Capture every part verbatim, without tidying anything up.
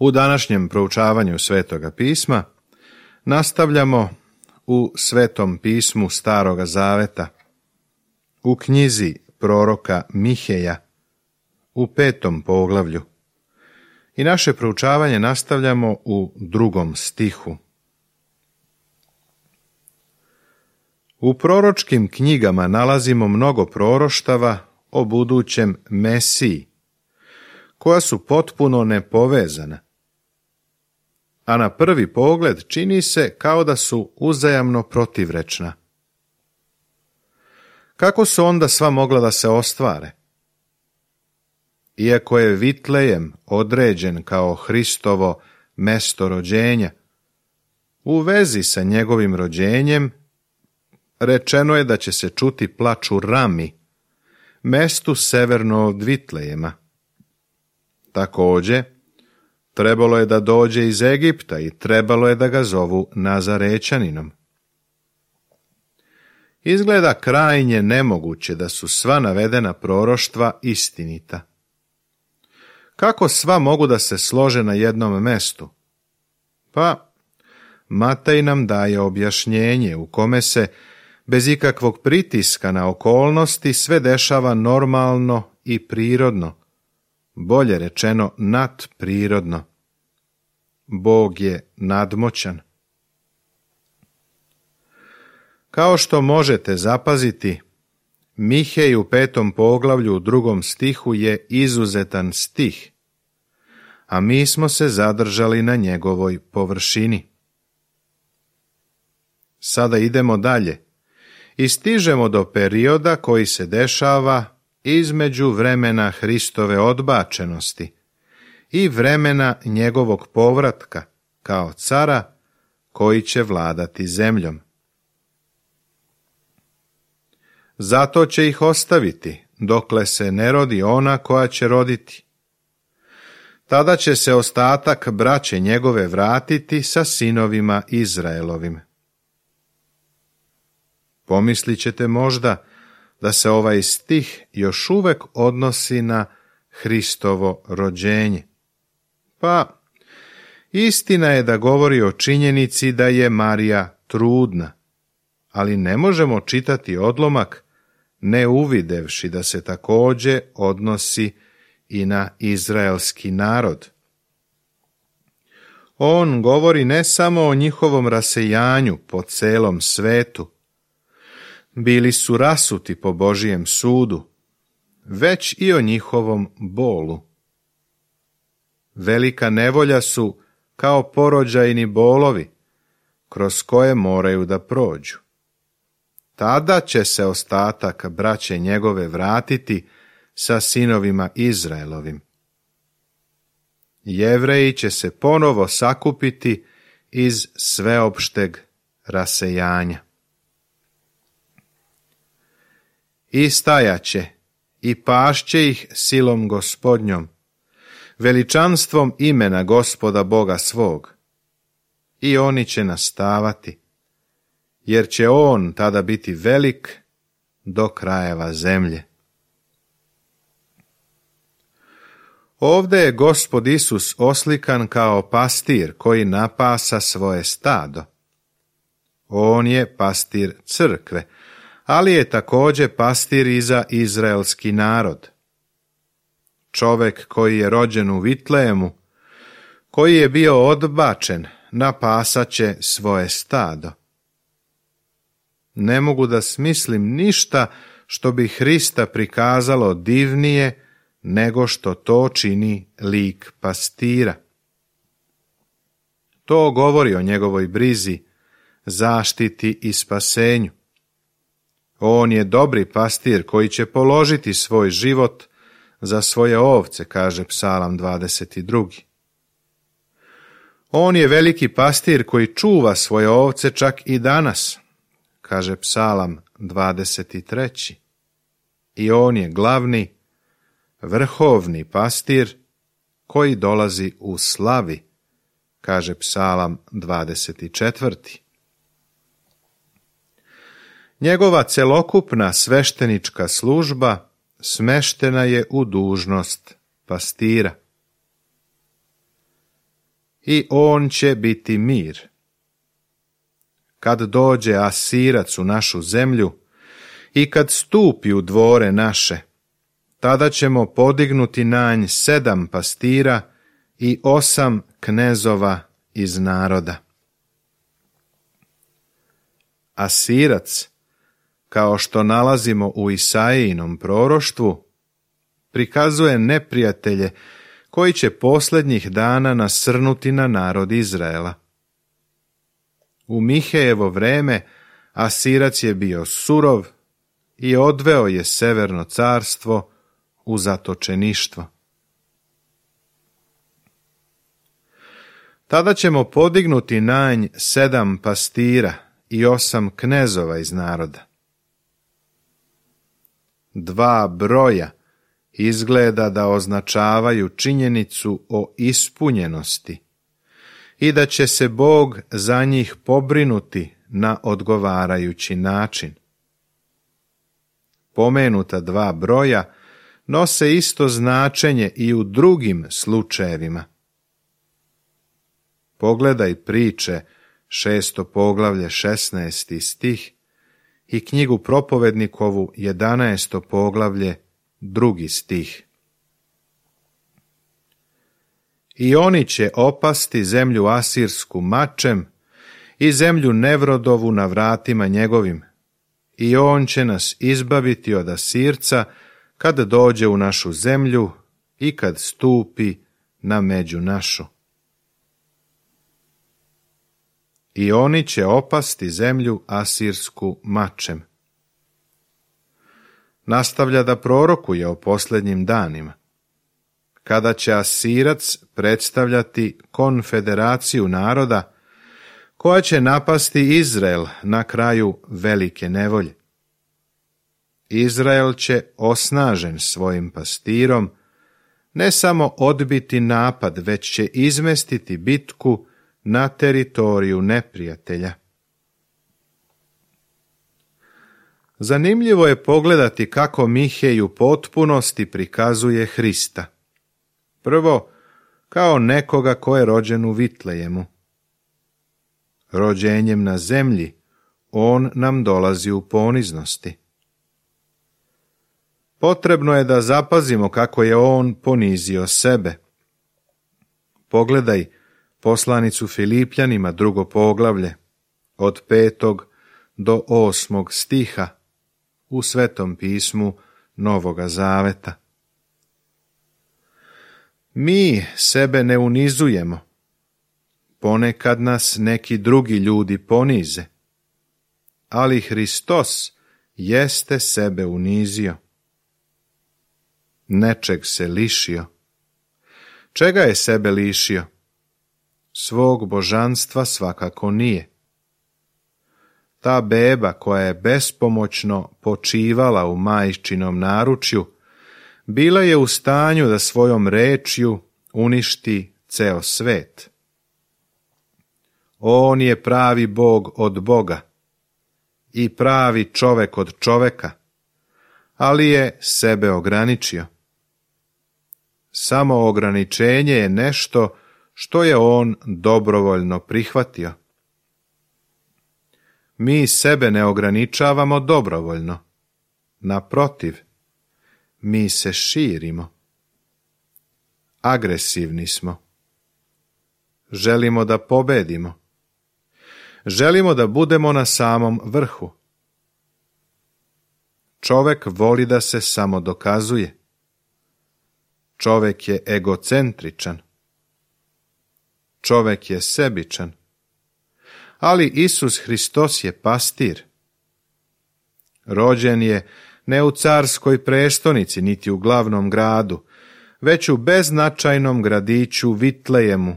U današnjem proučavanju Svetoga pisma nastavljamo u Svetom pismu Staroga Zaveta, u knjizi proroka Miheja, u petom poglavlju. I naše proučavanje nastavljamo u drugom stihu. U proročkim knjigama nalazimo mnogo proroštava o budućem Mesiji, koja su potpuno nepovezana, a na prvi pogled čini se kao da su uzajamno protivrečna. Kako su onda sva mogla da se ostvare? Iako je Vitlejem određen kao Hristovo mesto rođenja, u vezi sa njegovim rođenjem rečeno je da će se čuti plač u Rami, mestu severno od Vitlejema. Također, trebalo je da dođe iz Egipta i trebalo je da ga zovu Nazarećaninom. Izgleda krajnje nemoguće da su sva navedena proroštva istinita. Kako sva mogu da se slože na jednom mestu? Pa, Matej nam daje objašnjenje u kome se, bez ikakvog pritiska na okolnosti, sve dešava normalno i prirodno, bolje rečeno nadprirodno. Bog je nadmoćan. Kao što možete zapaziti, Mihej u petom poglavlju u drugom stihu je izuzetan stih, a mi smo se zadržali na njegovoj površini. Sada idemo dalje i stižemo do perioda koji se dešava između vremena Hristove odbačenosti i vremena njegovog povratka kao cara koji će vladati zemljom. Zato će ih ostaviti, dokle se ne rodi ona koja će roditi. Tada će se ostatak braće njegove vratiti sa sinovima Izraelovim. Pomislit ćete možda da se ovaj stih još uvek odnosi na Hristovo rođenje. Pa, istina je da govori o činjenici da je Marija trudna, ali ne možemo čitati odlomak ne uvidevši da se također odnosi i na izraelski narod. On govori ne samo o njihovom rasejanju po celom svetu, bili su rasuti po Božijem sudu, već i o njihovom bolu. Velika nevolja su kao porođajni bolovi, kroz koje moraju da prođu. Tada će se ostatak braće njegove vratiti sa sinovima Izraelovim. Jevreji će se ponovo sakupiti iz sveopšteg rasejanja. I stajaće i pašće ih silom Gospodnjom, veličanstvom imena Gospoda Boga svog. I oni će nastavati, jer će on tada biti velik do krajeva zemlje. Ovdje je Gospod Isus oslikan kao pastir koji napasa svoje stado. On je pastir crkve, ali je također pastir i za izraelski narod. Čovek koji je rođen u Vitlejemu, koji je bio odbačen, napasaće svoje stado. Ne mogu da smislim ništa što bi Hrista prikazalo divnije nego što to čini lik pastira. To govori o njegovoj brizi, zaštiti i spasenju. On je dobri pastir koji će položiti svoj život za svoje ovce, kaže Psalam dvadeset drugi. On je veliki pastir koji čuva svoje ovce čak i danas, kaže Psalam dvadeset treći. I on je glavni, vrhovni pastir koji dolazi u slavi, kaže Psalam dvadeset četvrti. Njegova celokupna sveštenička služba smeštena je u dužnost pastira. i on će biti mir. Kad dođe Asirac u našu zemlju i kad stupi u dvore naše, tada ćemo podignuti na nj sedam pastira i osam knezova iz naroda. Asirac, kao što nalazimo u Isaijinom proroštvu, prikazuje neprijatelje koji će posljednjih dana nasrnuti na narod Izraela. U Mihejevo vreme Asirac je bio surov i odveo je severno carstvo u zatočeništvo. Tada ćemo podignuti na nj sedam pastira i osam knezova iz naroda. Dva broja izgleda da označavaju činjenicu o ispunjenosti i da će se Bog za njih pobrinuti na odgovarajući način. Pomenuta dva broja nose isto značenje i u drugim slučajevima. Pogledaj priče, šesto poglavlje, šesnaesti stih, i knjigu Propovednikovu, jedanaesto poglavlje, drugi stih. I oni će opasti zemlju asirsku mačem i zemlju Nevrodovu na vratima njegovim, i on će nas izbaviti od Asirca kad dođe u našu zemlju i kad stupi na među našu. I oni će opasti zemlju asirsku mačem. Nastavlja da prorokuje o posljednjim danima, kada će Asirac predstavljati konfederaciju naroda koja će napasti Izrael na kraju velike nevolje. Izrael će, osnažen svojim pastirom, ne samo odbiti napad, već će izmestiti bitku na teritoriju neprijatelja. Zanimljivo je pogledati kako Mihej u potpunosti prikazuje Hrista. Prvo, kao nekoga ko je rođen u Vitlejemu. Rođenjem na zemlji, on nam dolazi u poniznosti. Potrebno je da zapazimo kako je on ponizio sebe. Pogledaj poslanicu Filipljanima, drugo poglavlje, od petog do osmog stiha u Svetom pismu Novoga Zaveta. Mi sebe ne unizujemo. Ponekad nas neki drugi ljudi ponize, ali Hristos jeste sebe unizio. Nečeg se lišio. Čega je sebe lišio? Svog božanstva svakako nije. Ta beba koja je bespomoćno počivala u majčinom naručju, bila je u stanju da svojom rečju uništi ceo svet. On je pravi Bog od Boga i pravi čovek od čoveka, ali je sebe ograničio. Samo ograničenje je nešto što je on dobrovoljno prihvatio. Mi sebe ne ograničavamo dobrovoljno. Naprotiv, mi se širimo. Agresivni smo. Želimo da pobedimo. Želimo da budemo na samom vrhu. Čovek voli da se samo dokazuje. Čovek je egocentričan. Čovek je sebičan. Ali Isus Hristos je pastir. Rođen je ne u carskoj prestonici, niti u glavnom gradu, već u beznačajnom gradiću Vitlejemu,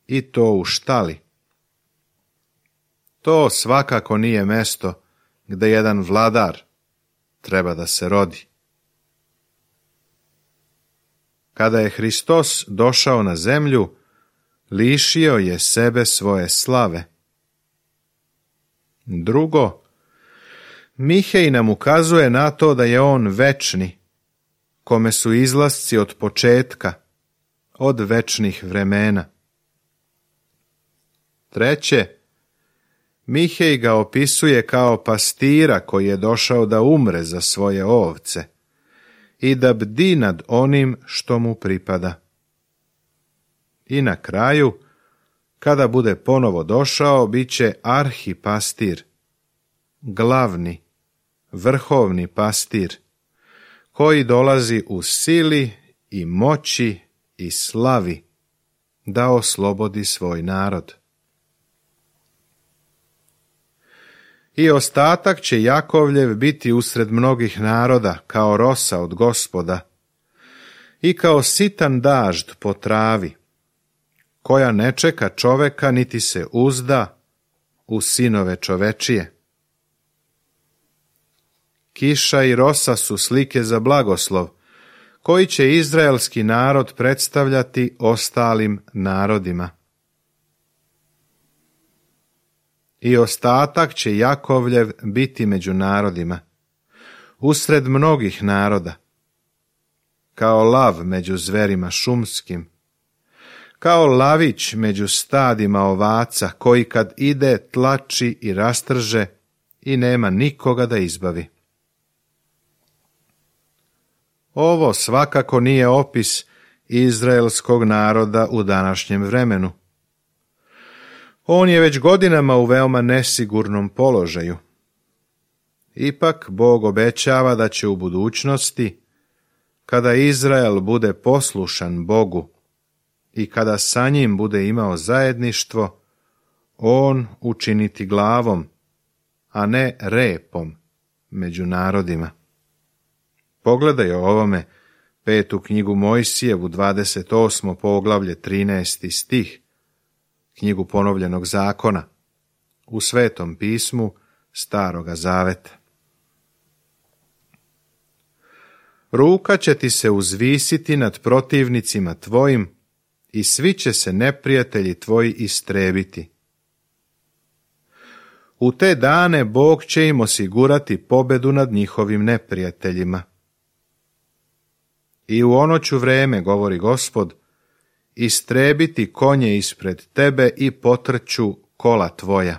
i to u štali. To svakako nije mesto gde jedan vladar treba da se rodi. Kada je Hristos došao na zemlju, lišio je sebe svoje slave. Drugo, Mihej nam ukazuje na to da je on večni, kome su izlasci od početka, od večnih vremena. Treće, Mihej ga opisuje kao pastira koji je došao da umre za svoje ovce i da bdi nad onim što mu pripada. I na kraju, kada bude ponovo došao, bit će arhipastir, glavni, vrhovni pastir, koji dolazi u sili i moći i slavi da oslobodi svoj narod. I ostatak će Jakovljev biti usred mnogih naroda, kao rosa od Gospoda, i kao sitan dažd po travi, koja ne čeka čoveka niti se uzda u sinove čovečije. Kiša i rosa su slike za blagoslov, koji će izraelski narod predstavljati ostalim narodima. I ostatak će Jakovljev biti među narodima, usred mnogih naroda, kao lav među zverima šumskim, kao lavić među stadima ovaca, koji kad ide tlači i rastrže i nema nikoga da izbavi. Ovo svakako nije opis izraelskog naroda u današnjem vremenu. On je već godinama u veoma nesigurnom položaju. Ipak Bog obećava da će u budućnosti, kada Izrael bude poslušan Bogu i kada sa njim bude imao zajedništvo, on učiniti glavom, a ne repom među narodima. Pogledaj o ovome petu knjigu Mojsijevu, dvadeset osmo poglavlje, trinaesti stih, knjigu ponovljenog zakona, u Svetom pismu Staroga zaveta. Ruka će ti se uzvisiti nad protivnicima tvojim i svi će se neprijatelji tvoji istrebiti. U te dane Bog će im osigurati pobedu nad njihovim neprijateljima. I u ono ću vreme, govori Gospod, istrebiti konje ispred tebe i potrću kola tvoja.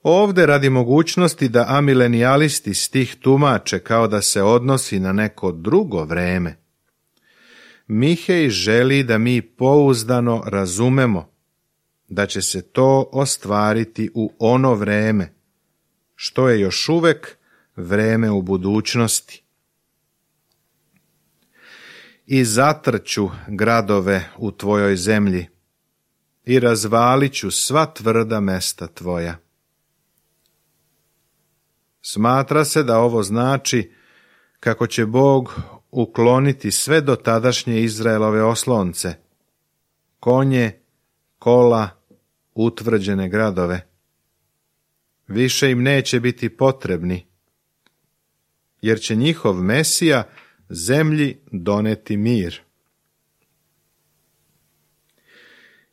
Ovde radi mogućnosti da amilenijalisti stih tumače kao da se odnosi na neko drugo vreme, Mihej želi da mi pouzdano razumemo da će se to ostvariti u ono vreme, što je još uvek vreme u budućnosti. I zatrću gradove u tvojoj zemlji i razvalit ću sva tvrda mesta tvoja. Smatra se da ovo znači kako će Bog ukloniti sve dotadašnje Izraelove oslonce, konje, kola, utvrđene gradove. Više im neće biti potrebni, jer će njihov Mesija zemlji doneti mir.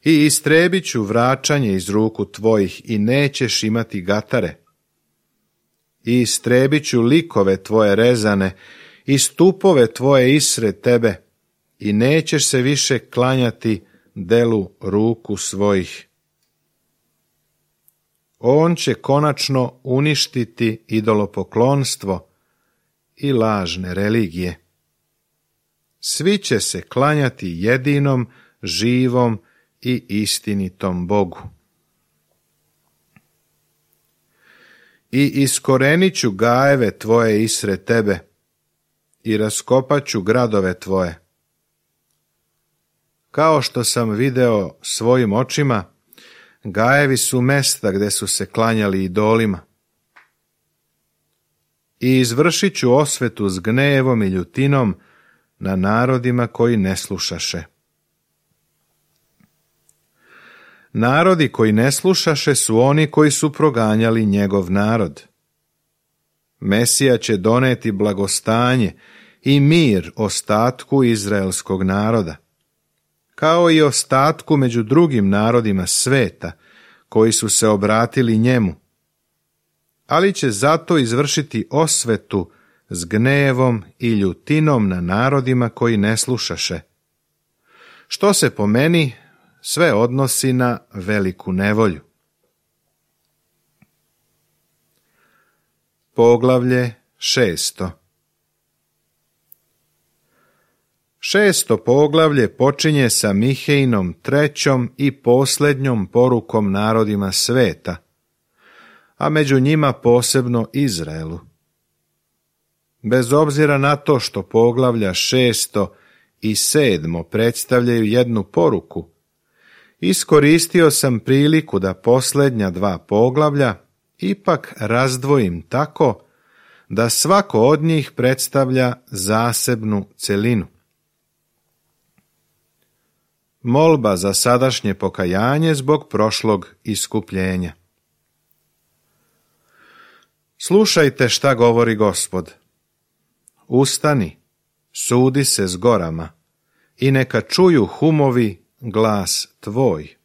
I istrebit ću vraćanje iz ruku tvojih i nećeš imati gatare. I istrebit ću likove tvoje rezane i stupove tvoje isred tebe i nećeš se više klanjati delu ruku svojih. On će konačno uništiti idolopoklonstvo i lažne religije. Svi će se klanjati jedinom, živom i istinitom Bogu. I iskorenit ću gajeve tvoje isred tebe i raskopat ću gradove tvoje. Kao što sam video svojim očima, gajevi su mesta gde su se klanjali idolima. I izvršit ću osvetu s gnevom i ljutinom na narodima koji ne slušaše. Narodi koji ne slušaše su oni koji su proganjali njegov narod. Mesija će doneti blagostanje i mir ostatku izraelskog naroda, kao i ostatku među drugim narodima sveta koji su se obratili njemu, ali će zato izvršiti osvetu s gnevom i ljutinom na narodima koji ne slušaše, što se po meni sve odnosi na veliku nevolju. Poglavlje šesto. Šesto poglavlje počinje sa Mihejnom trećom i posljednjom porukom narodima sveta, a među njima posebno Izraelu. Bez obzira na to što poglavlja šesto i sedmo predstavljaju jednu poruku, iskoristio sam priliku da posljednja dva poglavlja ipak razdvojim tako da svako od njih predstavlja zasebnu celinu. Molba za sadašnje pokajanje zbog prošlog iskupljenja. Slušajte šta govori Gospod. Ustani, sudi se s gorama i neka čuju humovi glas tvoj.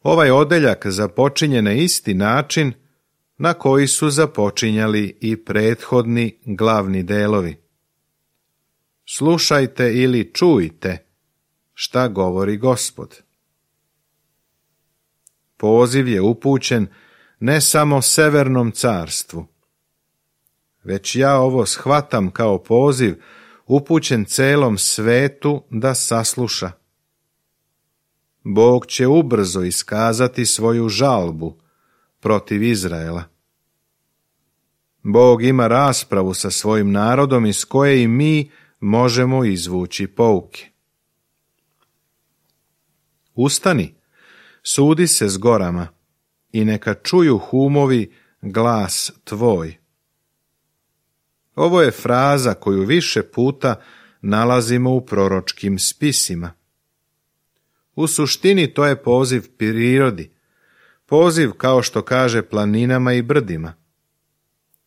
Ovaj odeljak započinje na isti način na koji su započinjali i prethodni glavni delovi. Slušajte ili čujte šta govori Gospod. Poziv je upućen ne samo Severnom carstvu, već ja ovo shvatam kao poziv upućen celom svetu da sasluša. Bog će ubrzo iskazati svoju žalbu protiv Izraela. Bog ima raspravu sa svojim narodom iz koje i mi možemo izvući pouke. Ustani, sudi se s gorama i neka čuju humovi glas tvoj. Ovo je fraza koju više puta nalazimo u proročkim spisima. U suštini to je poziv prirodi, poziv kao što kaže planinama i brdima.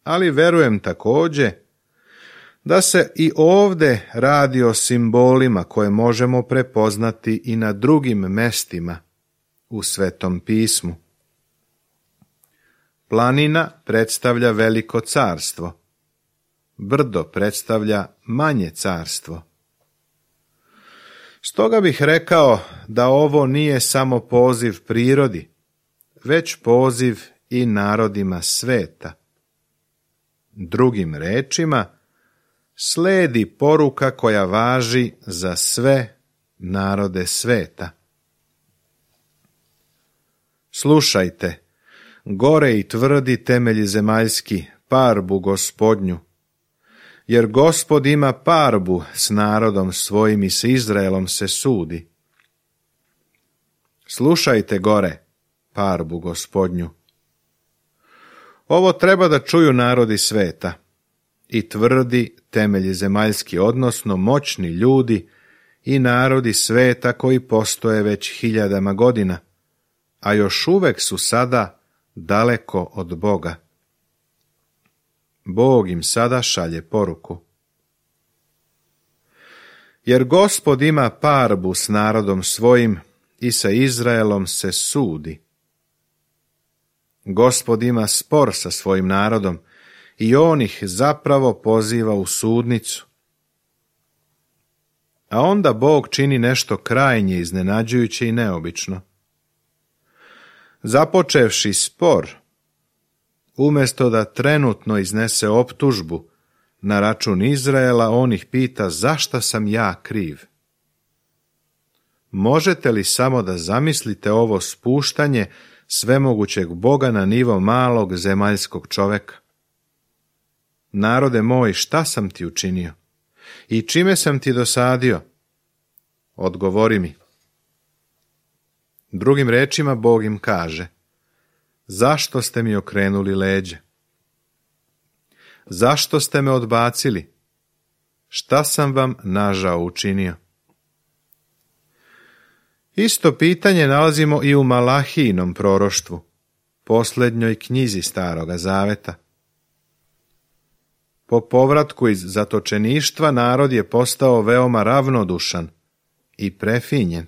Ali verujem također da se i ovdje radi o simbolima koje možemo prepoznati i na drugim mestima u Svetom pismu. Planina predstavlja veliko carstvo, brdo predstavlja manje carstvo. Stoga bih rekao da ovo nije samo poziv prirodi, već poziv i narodima sveta. Drugim rečima, sledi poruka koja važi za sve narode sveta. Slušajte, gore i tvrdi temelji zemaljski, parbu Gospodnju, jer Gospod ima parbu s narodom svojim i s Izraelom se sudi. Slušajte gore, parbu Gospodnju. Ovo treba da čuju narodi sveta i tvrdi temelji zemaljski, odnosno moćni ljudi i narodi sveta koji postoje već hiljadama godina, a još uvek su sada daleko od Boga. Bog im sada šalje poruku. Jer Gospod ima parbu s narodom svojim i sa Izraelom se sudi. Gospod ima spor sa svojim narodom i on ih zapravo poziva u sudnicu. A onda Bog čini nešto krajnje iznenađujuće i neobično. Započevši spor, umjesto da trenutno iznese optužbu na račun Izraela, on ih pita zašto sam ja kriv. Možete li samo da zamislite ovo spuštanje svemogućeg Boga na nivo malog zemaljskog čoveka? Narode moj, šta sam ti učinio? I čime sam ti dosadio? Odgovori mi. Drugim rečima Bog im kaže: zašto ste mi okrenuli leđe? Zašto ste me odbacili? Šta sam vam nažao učinio? Isto pitanje nalazimo i u Malahijinom proroštvu, posljednjoj knjizi Staroga Zaveta. Po povratku iz zatočeništva narod je postao veoma ravnodušan i prefinjen.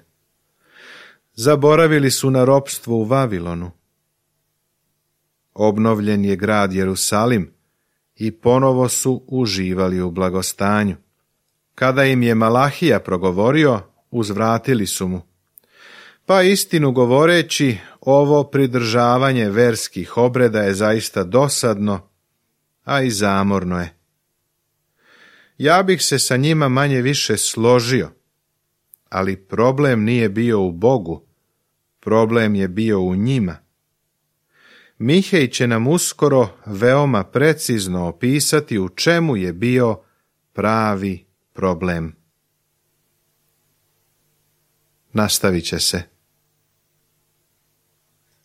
Zaboravili su na ropstvo u Vavilonu. Obnovljen je grad Jerusalim i ponovo su uživali u blagostanju. Kada im je Malahija progovorio, uzvratili su mu. Pa istinu govoreći, ovo pridržavanje verskih obreda je zaista dosadno, a i zamorno je. Ja bih se sa njima manje više složio, ali problem nije bio u Bogu, problem je bio u njima. Mihej će nam uskoro veoma precizno opisati u čemu je bio pravi problem. Nastavit će se.